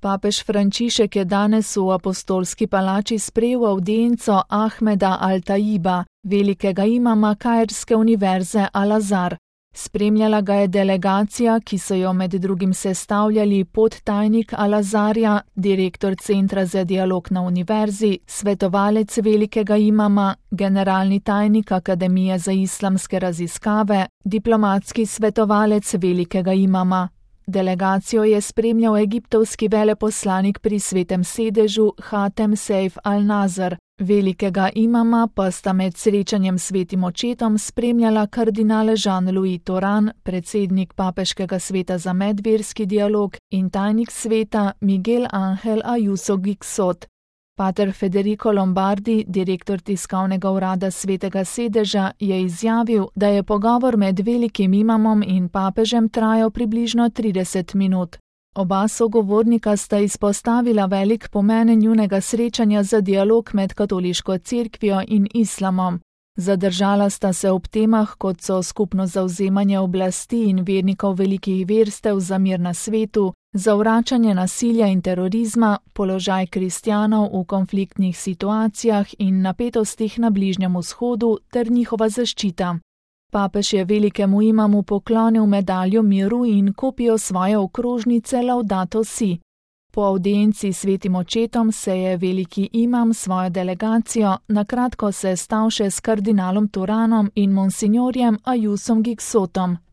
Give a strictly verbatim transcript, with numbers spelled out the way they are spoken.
Papež Frančišek je danes v apostolski palači sprejel avdienco Ahmeda Al-Taiba, velikega imama kairske univerze Al-Azhar. Spremljala ga je delegacija, ki so jo med drugim sestavljali podtajnik Al-Azharja, direktor Centra za dialog na univerzi, svetovalec velikega imama, generalni tajnik Akademije za islamske raziskave, diplomatski svetovalec velikega imama. Delegacijo je spremljal egiptovski veleposlanik pri Svetem sedežu Hatem Seif Al-Nazr. Velikega imama pa sta med srečanjem s svetim očetom spremljala kardinal Jean-Louis Toran, predsednik Papeškega sveta za medverski dialog, in tajnik sveta Miguel Ángel Ayuso Gixot. Pater Federico Lombardi, direktor tiskovnega urada Svetega sedeža, je izjavil, da je pogovor med velikim imamom in papežem trajal približno trideset minut. Oba sogovornika sta izpostavila velik pomen njunega srečanja za dialog med katoliško cerkvijo in islamom. Zadržala sta se ob temah, kot so skupno zavzemanje oblasti in vernikov velikih verstev za mir na svetu, zavračanje nasilja in terorizma, položaj kristjanov v konfliktnih situacijah in napetostih na Bližnjem vzhodu ter njihova zaščita. Papež je velikemu imamu poklonil medaljo miru in kopijo svoje okrožnice Laudato Si. Po avdienci s svetim očetom se je veliki imam svojo delegacijo na kratko sestal še s kardinalom Toranom in monsinjorjem Ayusom Gixotom.